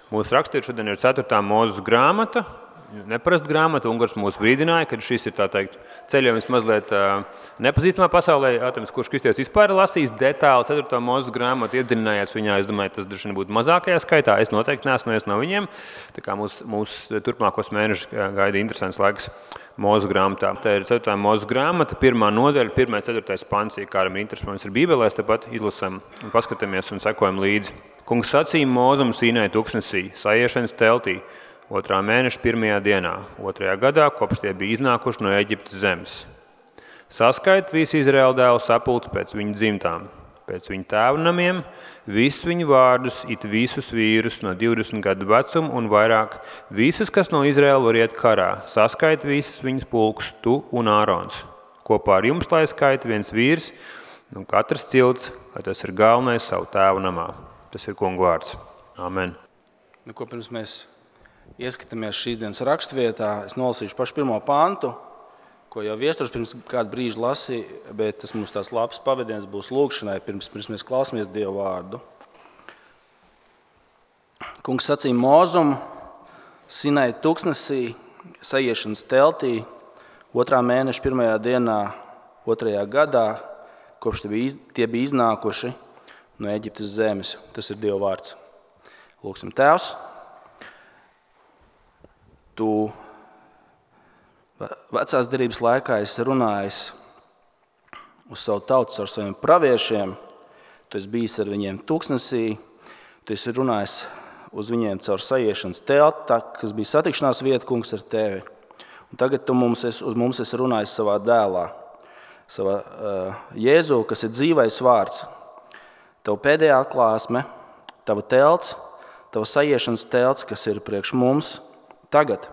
Mūsu rakstīts šodien ir 4. Mūzes grāmata, neparasta grāmata. Ungars mūs brīdināja, ka šis ir tā teikt ceļojums mazliet nepazīstamā pasaulē. Atams, kurš kristietis vispār lasīs detāli 4. Mūzes grāmatu, iedziļinājās viņā, es domāju, tas droši vien būtu mazākajā skaitā. Es noteikti neesmu viens no viņiem. Tā kā mūs turpmākos mēnešus gaida interesants laiks Mūzes grāmatā. Tā ir 4. Mūzes grāmata, 1. nodaļa, 1.4. pants. Ja kādam ir interesi, mums ir Bībelē, tāpat izlasām un paskatāmies un sekojam līdzi. Kungs sacīja Mūzum Sīnai tuksnesī, sajiešanas teltī, 2. mēneša 1. dienā, 2. gadā, kopš tie bija iznākuši no Eģiptes zemes. Saskait visu Izraēla dēlu sapulci pēc viņu dzimtām, pēc viņu tēvu namiem, visus viņu vārdus, it visus vīrus no 20 gadu vecuma un vairāk, visus, kas no Izraēla var iet karā, saskait visus viņus pulkus, tu un Ārons. Kopā ar jums lai skaita viens vīrs, un katrs cilts, lai tas ir galvenais savu tēvu namā. Tas ir Kunga vārds. Amen. Ko pirms mēs ieskatāmies šīs dienas rakstvietā, es nolasīšu pašu 1. pantu, ko jau Viesturs pirms kādu brīžu lasīja, bet tas mums tās labs pavadiens būs lūkšanai, pirms mēs klausāmies Dievu vārdu. Kungs sacīja Mūzum Sinai tuksnesī, sajiešanas teltī, 2. mēneša 1. dienā, 2. gadā, kopš tie bija iznākuši no Eģiptes zemes. Tas ir Dieva vārds. Lūksim, Tēvs, Tu vecās derības laikā esi runājis uz savu tautu ar saviem praviešiem. Tu esi bijis ar viņiem tuksnesī. Tu esi runājis uz viņiem caur sajiešanas telti, kas bija satikšanās vieta, Kungs, ar Tevi. Un tagad Tu uz mums esi runājis savā dēlā, savā Jēzu, kas ir dzīvais vārds. Tava pēdējā atklāsme, tava telts, tava sajiešanas telts, kas ir priekš mums tagad,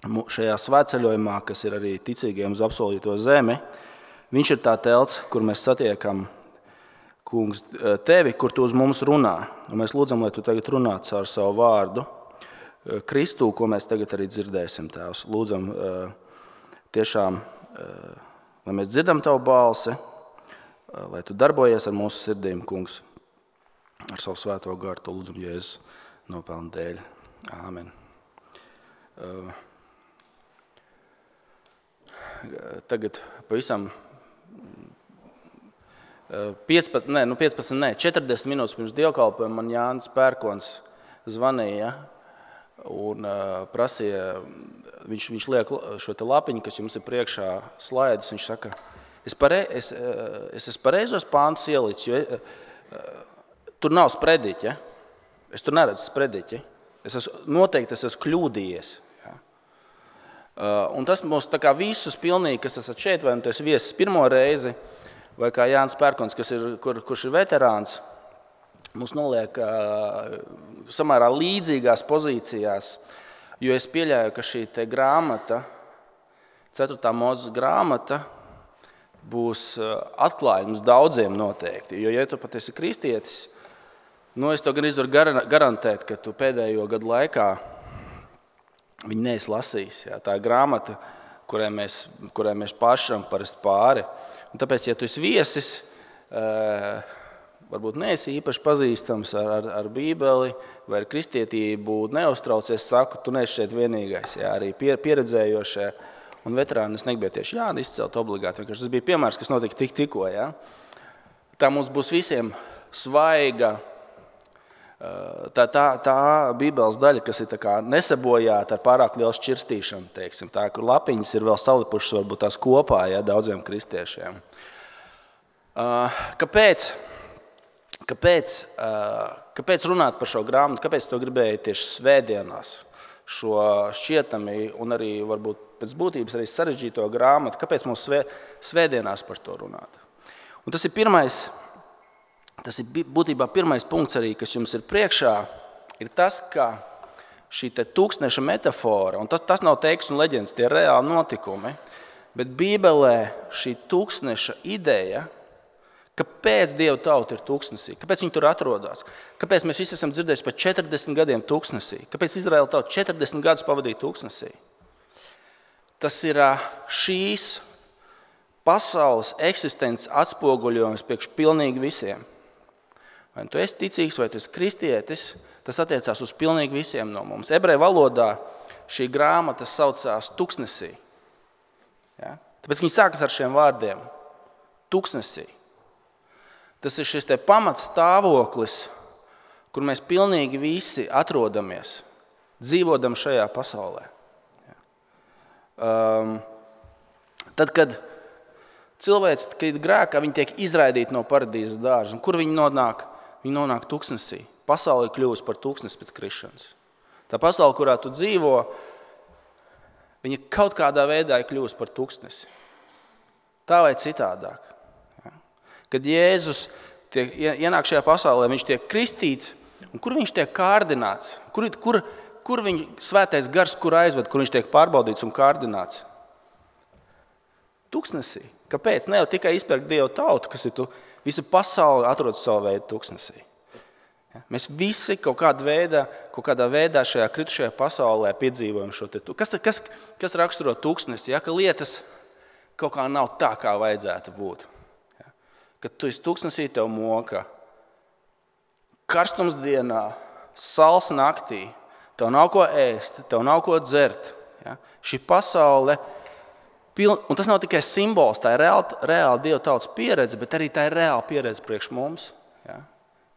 šajā svētceļojumā, kas ir arī ticīgiem uz apsolīto zemi, viņš ir tā telts, kur mēs satiekam, Kungs, Tevi, kur Tu uz mums runā. Un mēs lūdzam, lai Tu tagad runā caur savu vārdu, Kristu, ko mēs tagad arī dzirdēsim, Tēvs. Lūdzam tiešām, lai mēs dzirdam Tavu balsi, lai Tu darbojies ar mūsu sirdīm, Kungs, ar savu svēto garu, To lūdzam Jēzus nopelnu dēļ. Āmen. Tagad pavisam 40 minūtes pirms dievkalpojuma man Jānis Pērkons zvanīja un prasīja, viņš liek šo te lapiņu, kas jums ir priekšā slaidus, viņš saka, es esmu pareizos pāntus ielicis, jo tur nav sprediķi, ja? Es tur neredzu sprediķi. Noteikti es esmu kļūdījies. Ja? Un tas mums tā kā visus pilnīgi, kas esat šeit, vai nu tu esi viesis pirmo reizi, vai kā Jānis Pērkons, kurš ir veterāns, mums noliek samērā līdzīgās pozīcijās, jo es pieļauju, ka šī te grāmata, 4. Mūzes grāmata, būs atklājums daudziem noteikti. Jo, ja tu pat esi kristietis, es to gan izvaru garantēt, ka tu pēdējo gadu laikā viņu neesi lasījis. Jā. Tā ir grāmata, kurai mēs pašam parasti pāri. Un tāpēc, ja tu esi viesis, varbūt neesi īpaši pazīstams ar Bībeli vai ar kristietību, neuztraucies, saku, tu neesi šeit vienīgais. Jā, arī pieredzējošie un veterāni, es negribēju tieši Jāni izcelt obligāti. Tas bija piemērs, kas notika tikko. Ja? Tā mums būs visiem svaiga, tā Bībeles daļa, kas ir tā kā nesabojāta ar pārāk lielu šķirstīšanu, teiksim, tā, kur lapiņas ir vēl salipušas varbūt tās kopā, ja, daudziem kristiešiem. Kāpēc runāt par šo grāmatu? Kāpēc to gribēju tieši svētdienās? Šo šķietami un arī varbūt pēc būtības arī sarežģīto grāmatu, kāpēc mums svētdienās par to runāt. Un tas ir būtībā pirmais punkts arī, kas jums ir priekšā, ir tas, ka šī te tūkstneša metafora, un tas nav teiks un leģendas, tie ir reāli notikumi, bet Bībelē šī tūkstneša ideja, kāpēc Dieva tauta ir tūkstnesī, kāpēc viņi tur atrodas, kāpēc mēs visi esam dzirdējuši par 40 gadiem tūkstnesī, kāpēc Izraēla tauta 40 gadus pavadīja tūkstnesī. Tas ir šīs pasaules eksistences atspoguļojums priekš pilnīgi visiem. Vai tu esi ticīgs, vai tu esi kristietis, Tas attiecās uz pilnīgi visiem no mums. Ebreju valodā šī grāmata saucās tuksnesī. Ja? Tāpēc viņi sākas ar šiem vārdiem. Tuksnesī. Tas ir šis te pamatstāvoklis, kur mēs pilnīgi visi atrodamies, dzīvodam šajā pasaulē. Ja? Tad, kad cilvēks krīt grēkā, viņi tiek izraidīti no paradīzes dārza. Un kur viņi nonāk? Viņi nonāk tuksnesī. Pasaule ir kļuvusi par tuksnesi pēc krišanas. Tā pasaule, kurā tu dzīvo, viņa kaut kādā veidā ir kļuvusi par tuksnesi. Tā vai citādāk. Ja? Kad Jēzus ienāk šajā pasaulē, viņš tiek kristīts, un kur viņš tiek kārdināts? Kur viņa svētais gars, kur aizved, kur viņš tiek pārbaudīts un kārdināts? Tuksnesī. Kāpēc? Ne jau tikai izpērk Dievu tautu, kas ir visa pasaule atrodas savu veidu tuksnesī. Ja? Mēs visi kaut kādā veidā šajā kritušajā pasaulē piedzīvojam šo te. Kas raksturo tuksnesi? Ja? Ka lietas kaut kā nav tā, kā vajadzētu būt. Ja? Kad tu esi tuksnesī, tev moka karstums dienā, sals naktī, tev nav ko ēst, tev nav ko dzert. Ja? Šī pasaule, un tas nav tikai simbols, tā ir reāla Dieva tautas pieredze, bet arī tā ir reāla pieredze priekš mums. Ja?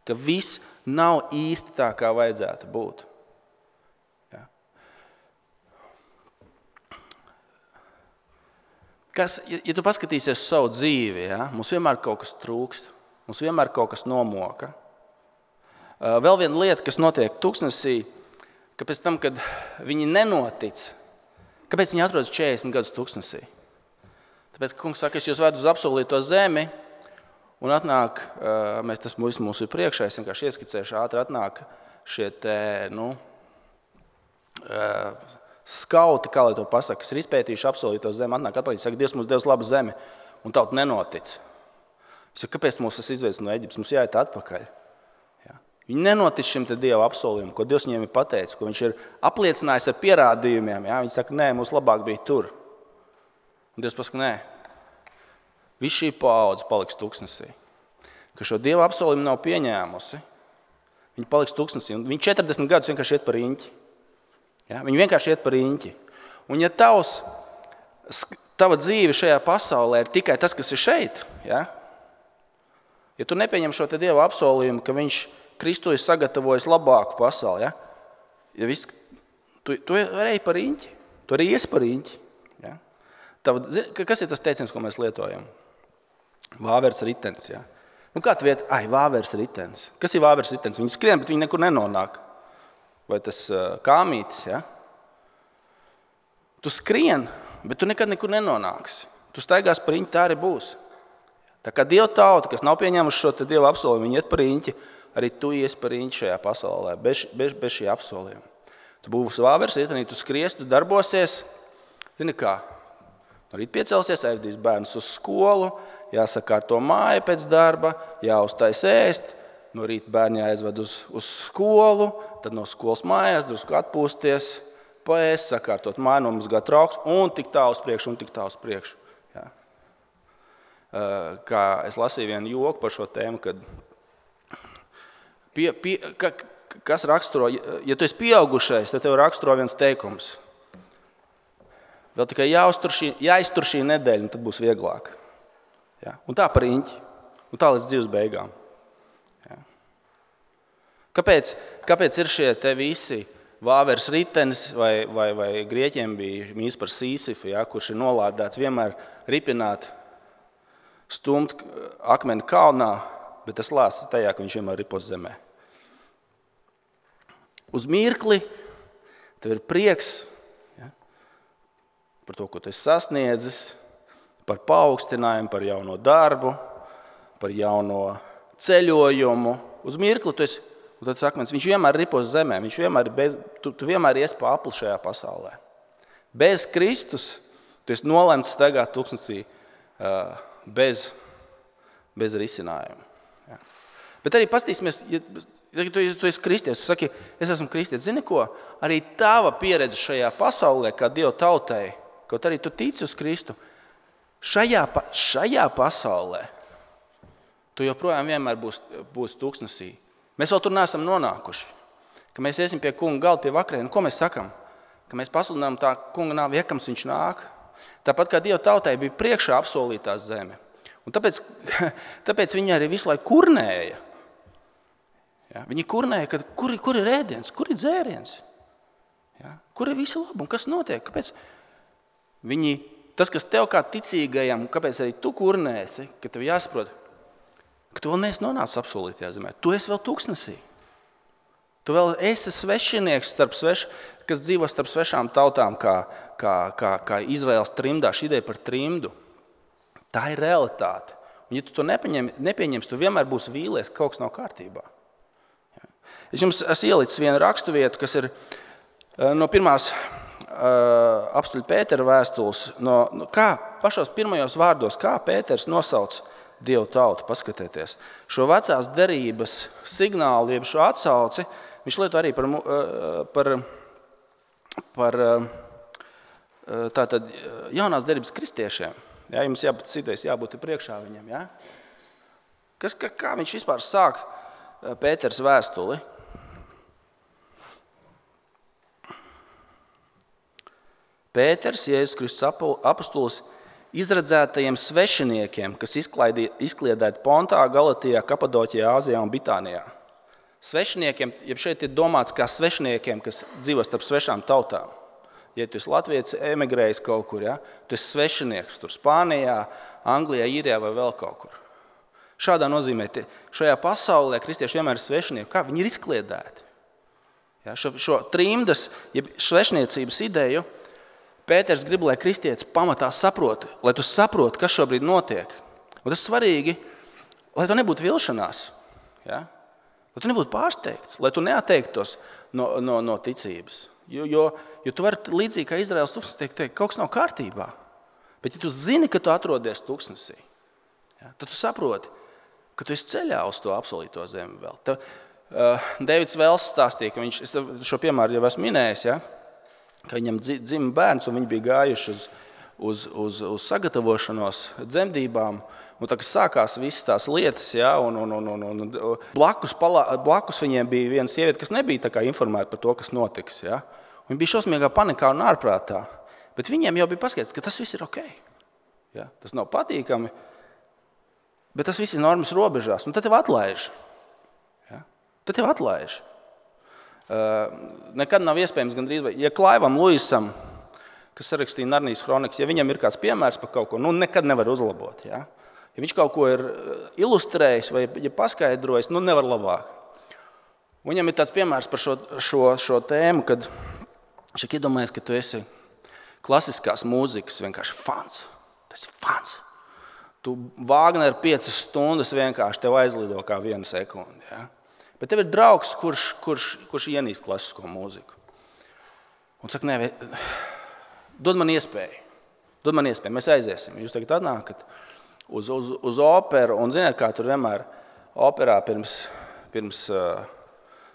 Ka viss nav īsti tā, kā vajadzētu būt. Ja? Ja tu paskatīsies savu dzīvi, ja? Mums vienmēr kaut kas trūkst, mums vienmēr kaut kas nomoka. Vēl viena lieta, kas notiek tuksnesī, ka pēc tam, kad viņi nenotic, kāpēc viņi atrodas 40 gadus tuksnesī? Tāpēc, ka kungs saka, es jūs vedu uz apsolīto zemi, un atnāk, tas mums ir priekšā, es vienkārši ieskicēšu ātri, atnāk šie skauti, kā lai to pasaka, kas ir izpētījuši apsolīto zemi, atnāk atpakaļ, saka, Dievs mums devis labu zemi, un tauta nenotic. Es saku, kāpēc mums tas izveids no Eģiptes? Mums jāiet atpakaļ. Viņi nenotic šim te Dieva apsolījumam, ko Dievs viņiem ir pateicis, ko viņš ir apliecinājis ar pierādījumiem. Ja? Viņi saka, nē, mums labāk bija tur. Un Dievs pasaka, nē, viss šī paudze paliks tuksnesī. Ka šo Dieva apsolījumu nav pieņēmusi, viņi paliks tuksnesī. Un viņi 40 gadus vienkārši iet par riņķi. Ja? Viņi vienkārši iet par riņķi. Un ja tava dzīve šajā pasaulē ir tikai tas, kas ir šeit, ja tu nepieņem šo te Dieva apsolījumu, ka viņš Kristu ir sagatavojis labāku pasauli. Ja? Tu ej par riņķi, tu arī ies par riņķi. Ja? Kas ir tas teiciens, ko mēs lietojam? Vāveres ritens. Ja? Kā tu viet? Vāveres ritens. Kas ir vāveres ritens? Viņi skrien, bet viņi nekur nenonāk. Vai tas kāmītis? Ja? Tu skrien, bet tu nekad nekur nenonāksi. Tu staigās par riņķi, tā arī būs. Tā kā Dieva tauta, kas nav pieņēmuši šo te Dieva apsolījumu, viņi iet par riņķi, arī tu ies par riņķi šajā pasaulē, bez šī apsolījuma. Tu būsi vāveres riteni, tu skries, tu darbosies. Zini kā? No rīt piecelsies, aizvedīs bērnus uz skolu, jāsakārto māja pēc darba, jāuztais ēst. No rīt bērni jāaizved uz skolu, tad no skolas mājās drusku atpūsties, paēst, sakārtot māju, nomazgāt trauks un tik tā uz priekšu, Ja? Kā es lasīju vienu joku par šo tēmu, kad kas raksturo, ja tu esi pieaugušais, tad tev raksturo viens teikums. Vēl tikai jāiztur šī nedēļa, un tad būs vieglāk. Ja? Un tā par riņķi, un tā līdz dzīves beigām. Ja? Kāpēc ir šie te visi vāveres ritenis, vai grieķiem bija mīts par Sīsifu, ja? Kurš ir nolādēts vienmēr ripināt, stumt akmeni kalnā, bet tas lāsas tajā, ka viņš vienmēr ripos zemē. Uz mirkli tev ir prieks, ja, par to, ko tu esi sasniedzis, par paaugstinājumu, par jauno darbu, par jauno ceļojumu. Uz mirkli tu esi, un tad sakmens, viņš vienmēr ripos zemē, tu vienmēr ies pa apli šajā pasaulē. Bez Kristus tu esi nolemts staigāt tuksnesī bez risinājuma. Ja. Bet arī pastīsimies, ja tu esi kristietis, tu saki, es esmu kristietis. Zini ko? Arī tava pieredze šajā pasaulē, kā Dieva tautai, kaut arī tu tici uz Kristu, šajā pasaulē tu joprojām vienmēr būs tuksnesī. Mēs vēl tur neesam nonākuši. ka mēs iesim pie kunga galda, pie vakarienu, ko mēs sakam? Ka mēs pasludinām tā kunga nāvi, iekams viņš nāk. Tāpat kā Dieva tautai bija priekšā apsolītā zeme. Un tāpēc viņi arī visu laiku kurnēja. Ja? Viņi kurnēja, ka kur ir ēdiens, kur ir dzēriens? Ja? Kur ir visi labi un kas notiek? Kāpēc? Tas, kas tev kā ticīgajam, kāpēc arī tu kurnēsi, ka tev jāsaprot, ka tu vēl neesi nonācis apsolītajā zemē. Tu esi vēl tūkstnesī. Tu vēl esi svešinieks, kas dzīvo starp svešām tautām, kā Izraels trimdā, šī ideja par trimdu. Tā ir realitāte. Un ja tu to nepieņemsi, tu vienmēr būsi vīlies, ka kaut kas nav kārtībā. Ja. Es jums esmu ielicis vienu raksturvietu, kas ir no pirmās apstuļa Pētera vēstules, kā pašos pirmajos vārdos, kā Pēters nosauc Dievu tautu, paskatieties. Šo vecās derības signālu, jeb šo atsauci, viņš lieto arī par tātad jaunās derības kristiešiem. Ja, jums jābūt priekšā viņam. Ja? Kā viņš vispār sāk Pēters vēstuli? Pēters, Jēzus Kristus apostols, izredzētajiem svešiniekiem, kas izkliedēti Pontā, Galatijā, Kapadoķijā, Āzijā un Bitānijā. Svešiniekiem, jeb šeit ir domāts kā svešiniekiem, kas dzīvo starp svešām tautām. Ja tu esi latvietis, emigrējis kaut kur, ja? Tu esi svešinieks tur Spānijā, Anglijā, Īrijā vai vēl kaut kur. Šādā nozīmē, šajā pasaulē kristieši vienmēr ir svešinieki. Kā? Viņi ir izkliedēti. Ja? Šo trimdas, jeb svešniecības ideju, Pēters grib, lai kristietis pamatā saprot, lai tu saproti, kas šobrīd notiek. Un tas svarīgi, lai tu nebūtu vilšanās, ja? Lai tu nebūtu pārsteigts, lai tu neatteiktos no ticības. Jo tu vari līdzīgi kā Izraels tūkstnesī teikt, kaut kas nav kārtībā. Bet ja tu zini, ka tu atrodies tūkstnesī, ja? Tad tu saproti, ka tu esi ceļā uz to apsolīto zemi vēl. Deivids Vels stāstīja, ka es šo piemēru jau esmu minējis, ja? Ka viņam dzima bērns, un viņi bija gājuši uz sagatavošanos dzemdībām. Un tā, kas sākās visas tās lietas, ja, un blakus viņiem bija viena sieviete, kas nebija tā kā informēta par to, kas notiks. Ja. Viņi bija šausmīgā panikā un ārprātā. Bet viņiem jau bija paskaidrots, ka tas viss ir ok. Ja. Tas nav patīkami, bet tas viss ir normas robežās. Un tad tev atlaiž. Ja. Tad tev atlaiž. Nekad nav iespējams gandrīz, ja Klaivam Luisam, kas sarakstīja Narnijas kronikas, ja viņam ir kāds piemērs par kaut ko, nekad nevar uzlabot. Ja? Ja viņš kaut ko ir ilustrējis vai ja paskaidrojis, nevar labāk. Viņam ir tāds piemērs par šo tēmu, kad viņš iedomājas, ka tu esi klasiskās mūzikas vienkārši fans. Tas ir fans. Tu Vāgner 5 stundas vienkārši tev aizlido kā 1 sekundi. Ja? Bet tev ir draugs, kurš ienīst klasisko mūziku. Un saka, nē, dod man iespēju. Mēs aiziesim. Jūs tagad atnākat uz operu, un ziniet, kā tur vienmēr operā pirms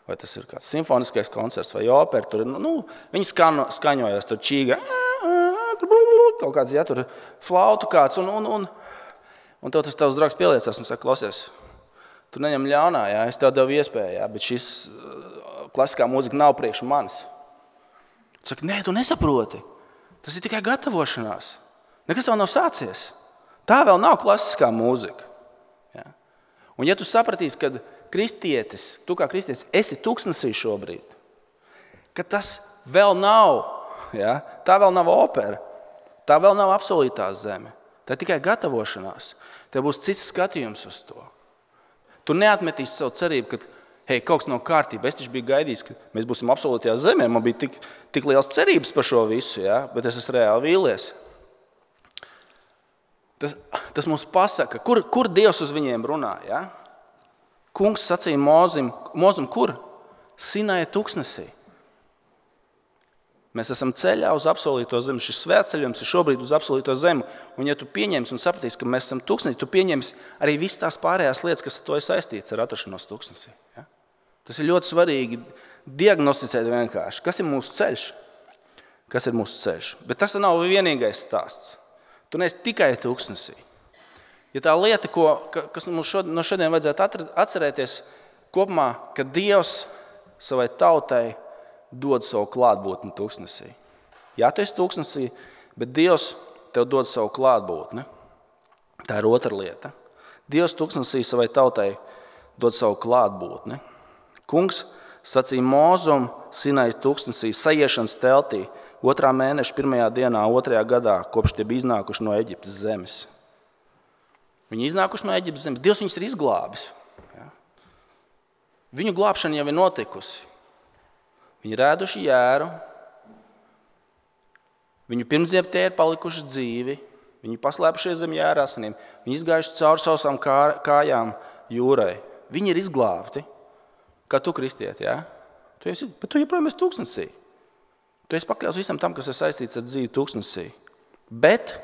vai tas ir kāds simfoniskais koncerts vai opera, tur, viņi skaņojas, tur čīga, kaut kāds, ja, tur flautu kāds, un tev tas tavs draugs pieliecās un saka, klausies, tu neņem ļaunā, ja, es tev devu iespēju, ja, bet šis klasiskā mūzika nav priekš manis. Tu saki, nē, tu nesaproti, tas ir tikai gatavošanās, nekas tev nav sācies. Tā vēl nav klasiskā mūzika. Ja. Un ja tu sapratīsi, ka kristietis, tu kā kristietis esi tūkstnesī šobrīd, ka tas vēl nav, ja, tā vēl nav opera, tā vēl nav apsolītā zeme, tā ir tikai gatavošanās, tev būs cits skatījums uz to. Tu neatmetīsi savu cerību, ka hei, kaut kas nav kārtība, es taču biju gaidījis, ka mēs būsim apsolītajā zemē, man bija tik liels cerības par šo visu, ja, bet es esmu reāli vīlies. Tas mums pasaka, kur Dievs uz viņiem runā. Ja? Kungs sacīja Mozim, kur? Sinaja tūkstnesī. Mēs esam ceļā uz apsolīto zemi. Šis svētceļojums ir šobrīd uz apsolīto zemi. Un ja tu pieņemsi un sapratīsi, ka mēs esam tūkstnesī, tu pieņemsi arī visas tās pārējās lietas, kas ar to ir saistīts ar atrašanos tūkstnesī. Ja? Tas ir ļoti svarīgi diagnosticēt vienkārši. Kas ir mūsu ceļš? Kas ir mūsu ceļš? Bet tas nav vienīgais stāsts. Tu neesi tikai tūkstnesī. Ja tā lieta, kas mums no šodien vajadzētu atcerēties kopumā, ka Dievs savai tautai dod savu klātbūtni tūkstnesī. Jā, tu esi tūkstnesī, bet Dievs tev dod savu klātbūtni. Tā ir otra lieta. Dievs tūkstnesī savai tautai dod savu klātbūtni. Kungs sacīja Mozum Sinai tūkstnesī sajiešanas teltī 2. mēneša 1. dienā 2. gadā, kopš tie bija iznākuši no Eģiptes zemes. Viņi iznākuši no Eģiptes zemes. Dievs viņus ir izglābis. Ja? Viņu glābšana jau ir notikusi. Viņi ir ēduši jēru. Viņu pirmsdziemtie ir palikuši dzīvi. Viņi paslēpušies zem jēra asinīm. Viņi izgājuši cauri sausām kājām jūrai. Viņi ir izglābti. Kā tu, kristieti, ja? Bet tu joprojām esi tūkstnesī. Tu esi pakļauts visam tam, kas ir saistīts ar dzīvi tūkstnesī. Bet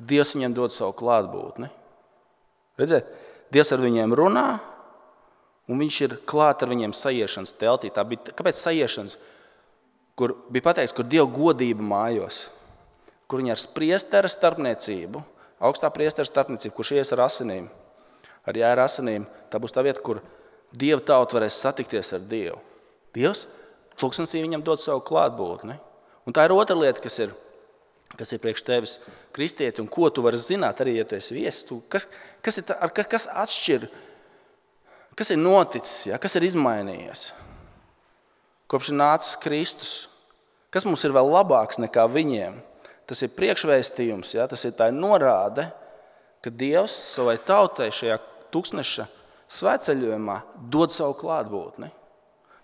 Dievs viņiem dod savu klātbūtni. Redziet, Dievs ar viņiem runā, un viņš ir klāt ar viņiem sajiešanas teltī. Tā bija, kāpēc sajiešanas? Kur bija pateikts, kur Dieva godība mājos, kur viņi ar priestera starpniecību, augstā priestera starpniecību, kurš ies ar asinīm, ar jēra asinīm, tā būs tā vieta, kur Dieva tauta varēs satikties ar Dievu. Dievs tūkstnesī viņam dod savu klātbūtni. Un tā ir otra lieta, kas ir priekš tevis kristieti, un ko tu vari zināt, arī, ja tu esi viesis. Kas atšķir, kas ir noticis, ja? Kas ir izmainījies? Kopš ir nācis Kristus, kas mums ir vēl labāks nekā viņiem? Tas ir priekšvēstījums, ja? Tas ir tā norāde, ka Dievs savai tautai šajā tūkstneša svētceļojumā dod savu klātbūtni.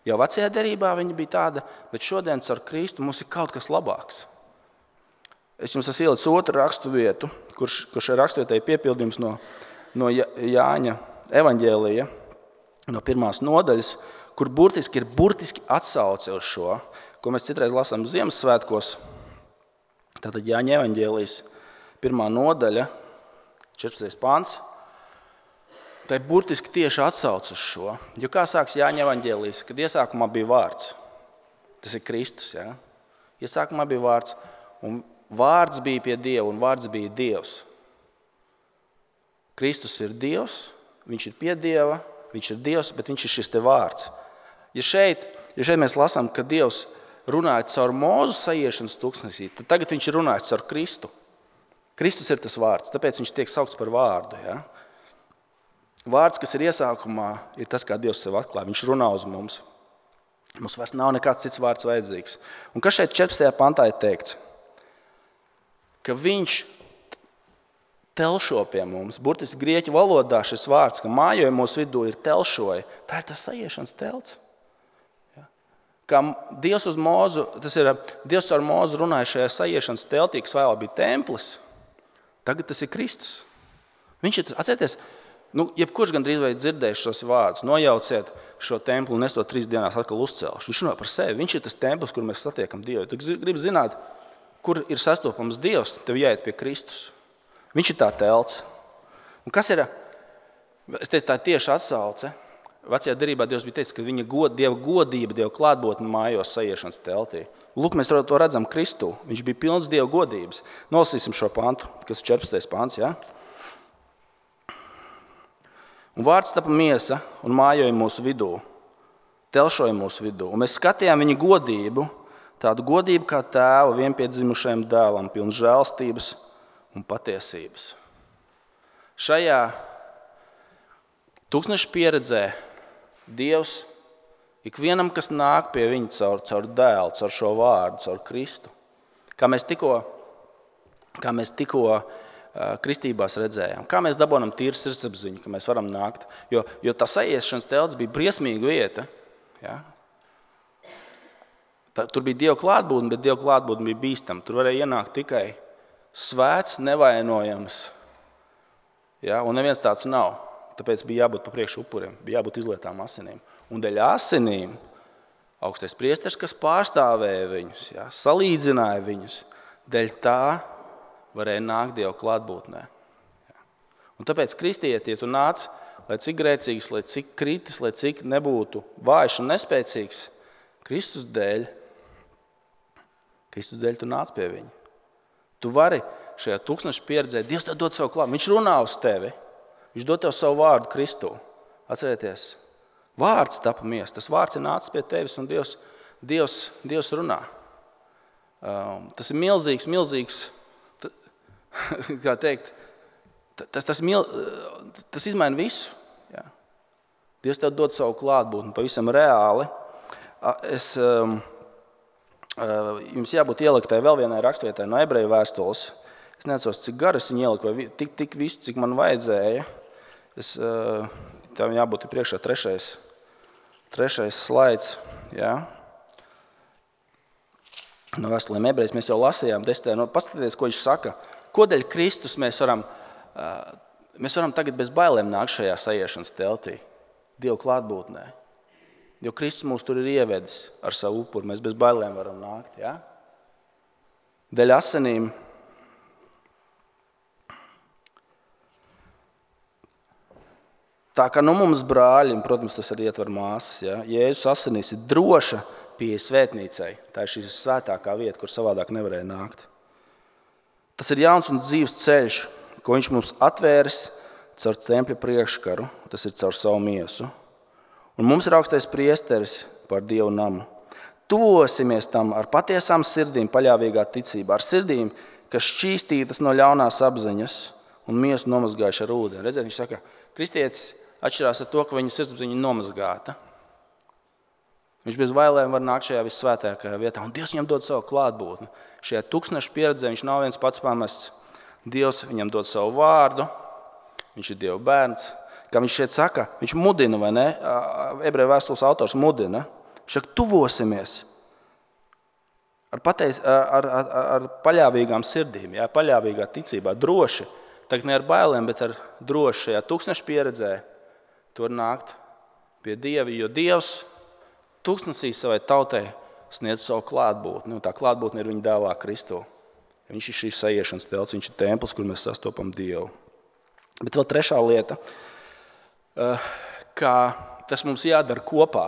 Jau vecajā derībā viņa bija tāda, bet šodien ar Kristu mums ir kaut kas labāks. Es jums esmu ielicis otru rakstu vietu, kurš ir rakstvietēji piepildījums no Jāņa evaņģēlija, no 1. nodaļas, kur burtiski atsauce uz šo, ko mēs citreiz lasām Ziemassvētkos. Tātad Jāņa evaņģēlijas 1. nodaļa, 14. pants. Tā ir burtiski tieši atsauce uz šo. Jo kā sāks Jāņa evaņģēlijas, kad iesākumā bija vārds. Tas ir Kristus, ja? Iesākumā bija vārds, un vārds bija pie Dieva, un vārds bija Dievs. Kristus ir Dievs, viņš ir pie Dieva, viņš ir Dievs, bet viņš ir šis te vārds. Ja šeit mēs lasām, ka Dievs runāja caur Mūzu sajiešanas tūkstnesī, tad tagad viņš ir runājis caur Kristu. Kristus ir tas vārds, tāpēc viņš tiek saukts par vārdu, ja? Vārds, kas ir iesākumā, ir tas, kā Dievs sev atklāja. Viņš runā uz mums. Mums vairs nav nekāds cits vārds vajadzīgs. Un kas šeit 14. pantā ir teikts? Ka viņš telšo pie mums. Burtiski grieķu valodā šis vārds, ka mājoja mūsu vidū ir telšoja. Tā ir tas sajiešanas telts. Ja? Kā Dievs uz Mūzu, tas ir Dievs ar Mūzu runāja šajā sajiešanas teltī, kas vēl bija templis. Tagad tas ir Kristus. Viņš ir, atcerieties, jebkurš gandrīz vai dzirdējuši šos vārdus, nojauciet šo templi un es to 3 dienās atkal uzcelšu. Viņš runā par sevi. Viņš ir tas templis, kur mēs satiekam Dievu. Tu gribi zināt, kur ir sastopams Dievs, tev jāiet pie Kristus. Viņš ir tā telts. Un kas ir? Es teicu, tā ir tieši atsauce. Vecajā derībā Dievs bija teicis, ka viņa Dieva godība, Dieva klātbūtne mājos sajiešanas teltī. Lūk, mēs to redzam Kristū. Viņš bija pilns Dieva godības. Nolasīsim šo pantu, kas ir 14. pants, ja? Un vārds tapa miesa un mājoja mūsu vidū, telšoja mūsu vidū. Un mēs skatījām viņa godību, tādu godību kā tēva vienpiedzimušajam dēlam, pilns žēlstības un patiesības. Šajā tūkstneša pieredzē Dievs ikvienam, kas nāk pie viņa caur dēlu, caur šo vārdu, caur Kristu, kā mēs tikko kristībās redzējām. Kā mēs dabonam tīru sirdsapziņu, ka mēs varam nākt. Jo tā sajiešanas telts bija briesmīga vieta. Ja? Tur bija Dieva klātbūtne, bet Dieva klātbūtne bija bīstama. Tur varēja ienākt tikai svēts, nevainojams. Ja? Un neviens tāds nav. Tāpēc bija jābūt pa priekšu upuriem, bija jābūt izlietām asinīm. Un dēļ asinīm augstais priesteris, kas pārstāvēja viņus, ja? Salīdzināja viņus, dēļ tā varēja nākt Dieva klātbūtnē. Un tāpēc kristieti, ja tu nāc, lai cik grēcīgs, lai cik kritis, lai cik nebūtu vājš un nespēcīgs, Kristus dēļ tu nāc pie viņa. Tu vari šajā tūkstneša pieredzē, Dievs tev dod savu klātbūtni, viņš runā uz tevi, viņš dod tev savu vārdu Kristu. Atcerieties, Vārds tapa miesa. Tas vārds ir nācis pie tevis un Dievs runā. Tas ir milzīgs, kā teikt, tas izmaina visu. Jā. Dievs tev dod savu klātbūtni pavisam reāli. Jums jābūt ieliktai vēl vienai rakstvietai no Ebreju vēstules. Es neatceros, cik garu es viņu ieliku, vai tik visu, cik man vajadzēja. Tev jābūt priekšā trešais slaids. Jā. No vēstulēm Ebrejus mēs jau lasījām 10. Paskatieties, ko viņš saka. Kodēļ Kristus mēs varam tagad bez bailēm nākt šajā sajiešanas teltī, Dieva klātbūtnē. Jo Kristus mūs tur ir ievedis ar savu upuru, mēs bez bailēm varam nākt. Ja? Dēļ asinīm tā kā mums brāļi, un, protams, tas arī ietver māsas, ja? Jēzus asinīs ir droša pieeja svētnīcai. Tā ir šī svētākā vieta, kur savādāk nevarēja nākt. Tas ir jauns un dzīves ceļš, ko viņš mums atvēris caur tempļa priekškaru, tas ir caur savu miesu. Un mums ir augstais priesteris par Dievu namu. Tuvosimies tam ar patiesām sirdīm, paļāvīgā ticībā, ar sirdīm, kas šķīstītas no ļaunās apziņas un miesu nomazgājuši ar ūdeni. Redziet, viņš saka, kristietis atšķirās ar to, ka viņa sirdsapziņa ir nomazgāta. Viņš bez bailēm var nākt šajā vissvētākajā vietā, un Dievs viņam dod savu klātbūtni. Šajā tūkstneša pieredzē viņš nav viens pats pamests. Dievs viņam dod savu vārdu, viņš ir Dieva bērns. Kā viņš šeit saka, viņš mudina, vai ne? Ebreju vēstules autors mudina. Viņš saka, tuvosimies ar paļāvīgām sirdīm, jā, paļāvīgā ticībā, droši. Tagad ne ar bailēm, bet ar droši šajā tūkstneša pieredzē. Tu var nākt pie Dieva, jo Dievs tūkstnesī savai tautai sniedz savu klātbūtni. Tā klātbūtne ir viņa dēlā Kristu. Viņš ir šīs sajiešanas telts, viņš ir templis, kur mēs sastopam Dievu. Bet vēl trešā lieta, kā tas mums jādara kopā.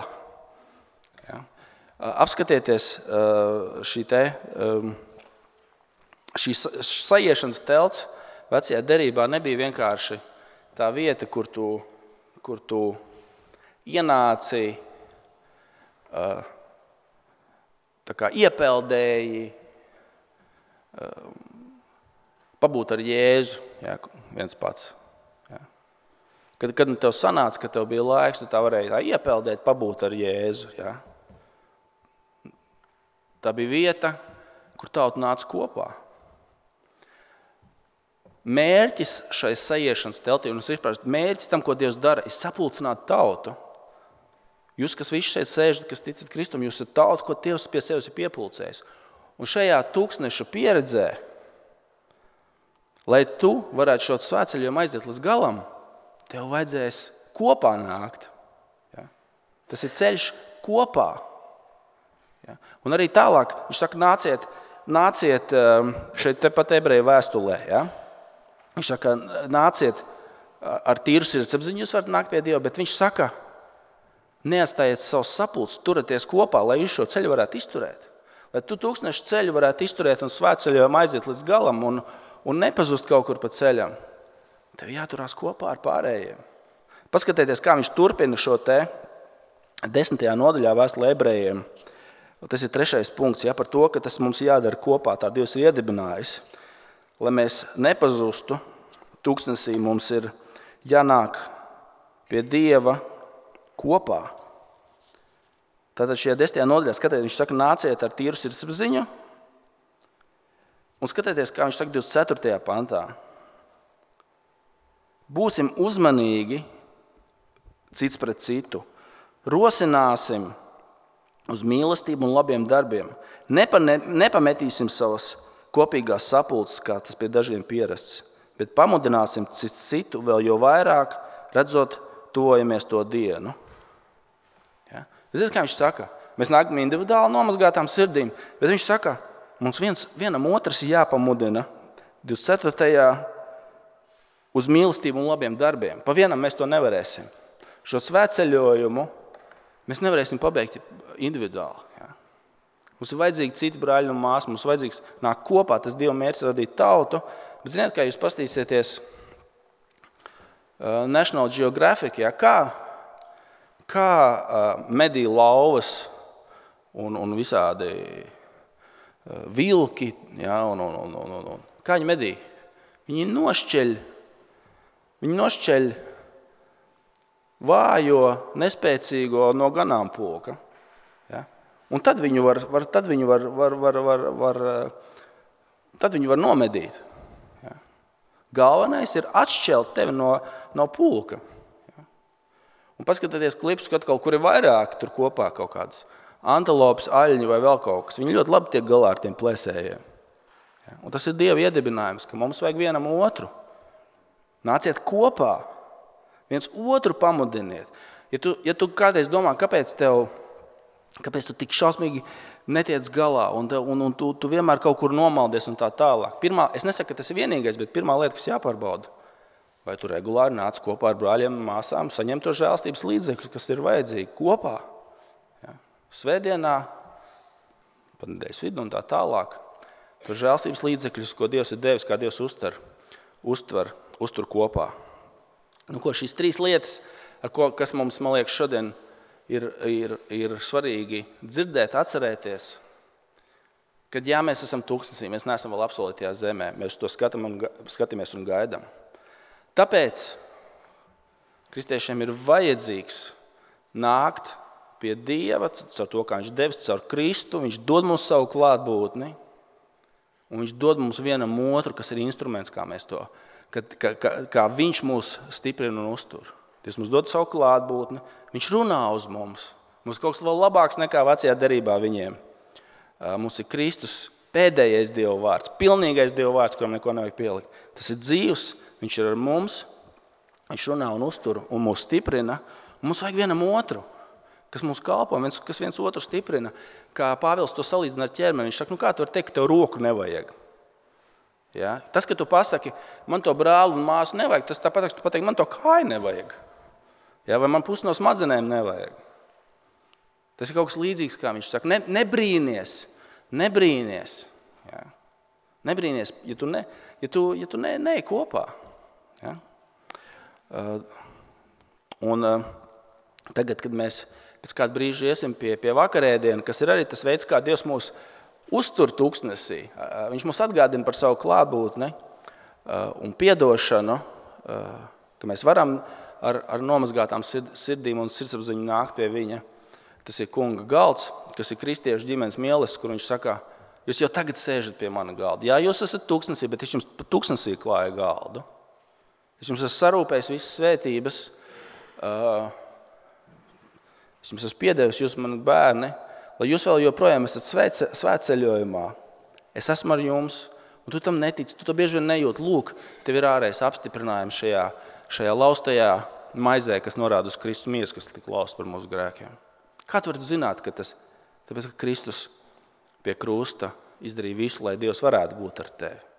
Ja? Apskatieties, šī sajiešanas telts vecajā derībā nebija vienkārši tā vieta, kur tu ienāci, tā kā iepeldēji, pabūt ar Jēzu, ja, viens pats. Ja. Kad tev sanāca, ka tev bija laiks, tu tā varēji iepeldēt, pabūt ar Jēzu. Ja. Tā bija vieta, kur tauta nāca kopā. Mērķis šai sajiešanas teltī, un mērķis tam, ko Dievs dara, ir sapulcināt tautu. Jūs, kas visi šeit sēžat, kas ticat Kristum, jūs esat tauta, ko Dievs pie sevis ir piepulcējis. Un šajā tūkstneša pieredzē, lai tu varētu šo svētceļojumu aiziet līdz galam, tev vajadzēs kopā nākt. Ja? Tas ir ceļš kopā. Ja? Un arī tālāk, viņš saka, nāciet šeit tepat Ebreju vēstulē. Ja? Viņš saka, nāciet ar tīru sirdsapziņu, jūs varat nākt pie Dieva, bet viņš saka, neatstājiet savus sapulces, turieties kopā, lai jūs šo ceļu varētu izturēt. Lai tu tūkstnešu ceļu varētu izturēt un svētceļojumu aiziet līdz galam un nepazust kaut kur pa ceļam. Tev jāturās kopā ar pārējiem. Paskatieties, kā viņš turpina šo te 10. nodaļā vēstulē Ebrejiem. Tas ir 3. punkts, ja, par to, ka tas mums jādara kopā, tā Dievs ir iedibinājis. Lai mēs nepazustu, tūkstnesī mums ir jānāk pie Dieva kopā. Tātad šajā 10. nodaļā, skatieties, viņš saka, nāciet ar tīru sirdsapziņu. Un skatieties, kā viņš saka 24. pantā. Būsim uzmanīgi cits pret citu. Rosināsim uz mīlestību un labiem darbiem. Nepametīsim savas kopīgās sapulces, kā tas pie dažiem pierasts, bet pamudināsim citu vēl jo vairāk, redzot, tuvojamies to dienu. Ja? Ziniet, kā viņš saka? Mēs nākam individuāli nomazgātām sirdīm, bet viņš saka, mums vienam otrs ir jāpamudina 24. uz mīlestību un labiem darbiem. Pa vienam mēs to nevarēsim. Šo svētceļojumu mēs nevarēsim pabeigt individuāli. Ja? Mums ir vajadzīgi citi brāļi un māsas, mums vajadzīgs nāk kopā, tas Dieva mērķis radīt tautu. Bet ziniet, kā jūs pastīsieties National Geographic, ja? kā medī lauvas un visādi vilki, ja, un kā viņi medī? Viņi nošķeļ vājo, nespēcīgo no ganāmpulka. Ja? Un tad viņu var nomedīt. Ja? Galvenais ir atšķelt tevi no pulka. Ja? Un paskatieties klipus, kad kaut kur ir vairāk tur kopā kaut kādas antilopes, aļņi vai vēl kaut kas. Viņi ļoti labi tiek galā ar tiem plēsējiem. Ja? Un tas ir Dieva iedibinājums, ka mums vajag vienam otru. Nāciet kopā, viens otru pamudiniet. Ja tu kādreiz domā, kāpēc tu tik šausmīgi netiec galā un tu vienmēr kaut kur nomaldies un tā tālāk. Es nesaku, ka tas ir vienīgais, bet pirmā lieta, kas jāpārbauda, vai tu regulāri nāc kopā ar brāļiem un māsām, saņem to žēlstības līdzekļus, kas ir vajadzīgi kopā. Ja? Svētdienā, pat nedēļas vidu un tā tālāk, to žēlstības līdzekļus, ko Dievs ir devis, kā Dievs uztver kopā. Šīs 3 lietas, kas mums, man liekas, šodien ir svarīgi dzirdēt, atcerēties, kad mēs esam tūkstnesī, mēs neesam vēl apsolītajā zemē, mēs to skatāmies un gaidām. Tāpēc kristiešiem ir vajadzīgs nākt pie Dieva, caur to, kā viņš devis, caur Kristu, viņš dod mums savu klātbūtni, un viņš dod mums vienam otru, kas ir instruments, kā mēs to, kā viņš mūs stiprina un uztur. Dievs mums dod savu klātbūtni, viņš runā uz mums. Mums kaut kas vēl labāks nekā vecajā derībā viņiem. Mums ir Kristus pēdējais Dieva vārds, pilnīgais Dieva vārds, kuram neko nevajag pielikt. Tas ir dzīvs, viņš ir ar mums, viņš runā un uztur un mūs stiprina. Un mums vajag vienam otru, kas mums kalpo, kas viens otru stiprina. Kā Pāvils to salīdzina ar ķermeni, viņš saka, kā tu vari teikt, ka tev roku nevajag? Ja? Tas, ka tu pasaki, man to brāli un māsu nevajag, tas tāpat, ka tu pateiksi, man to kāju nevajag. Ja? Vai man pusi no smadzenēm nevajag. Tas ir kaut kas līdzīgs, kā viņš saka. Nebrīnies. Ja? Nebrīnies, ja tu neej kopā. Ja? Tagad, kad mēs pēc kādu brīžu iesim pie vakarēdienu, kas ir arī tas veids, kā Dievs mūs uztur tūkstnesī. Viņš mums atgādina par savu klātbūtni un piedošanu, ka mēs varam ar nomazgātām sirdīm un sirdsapziņu nākt pie viņa. Tas ir kunga galds, kas ir kristiešu ģimenes mīlestības, kur viņš saka, jūs jau tagad sēžat pie mana galda. Jā, jūs esat tūkstnesī, bet viņš jums tūkstnesī klāja galdu. Es jums esmu sarūpējis visas svētības, es jums esmu piedevis, jūs mani bērni, lai jūs vēl joprojām esat svētceļojumā. Es esmu ar jums, un tu tam netici, tu to bieži vien nejūt. Lūk, tev ir ārējais apstiprinājums šajā laustajā maizē, kas norāda uz Kristus miesu, kas tika lausta par mūsu grēkiem. Kā tu vari zināt, ka tas, tāpēc, ka Kristus pie krusta izdarīja visu, lai Dievs varētu būt ar tevi?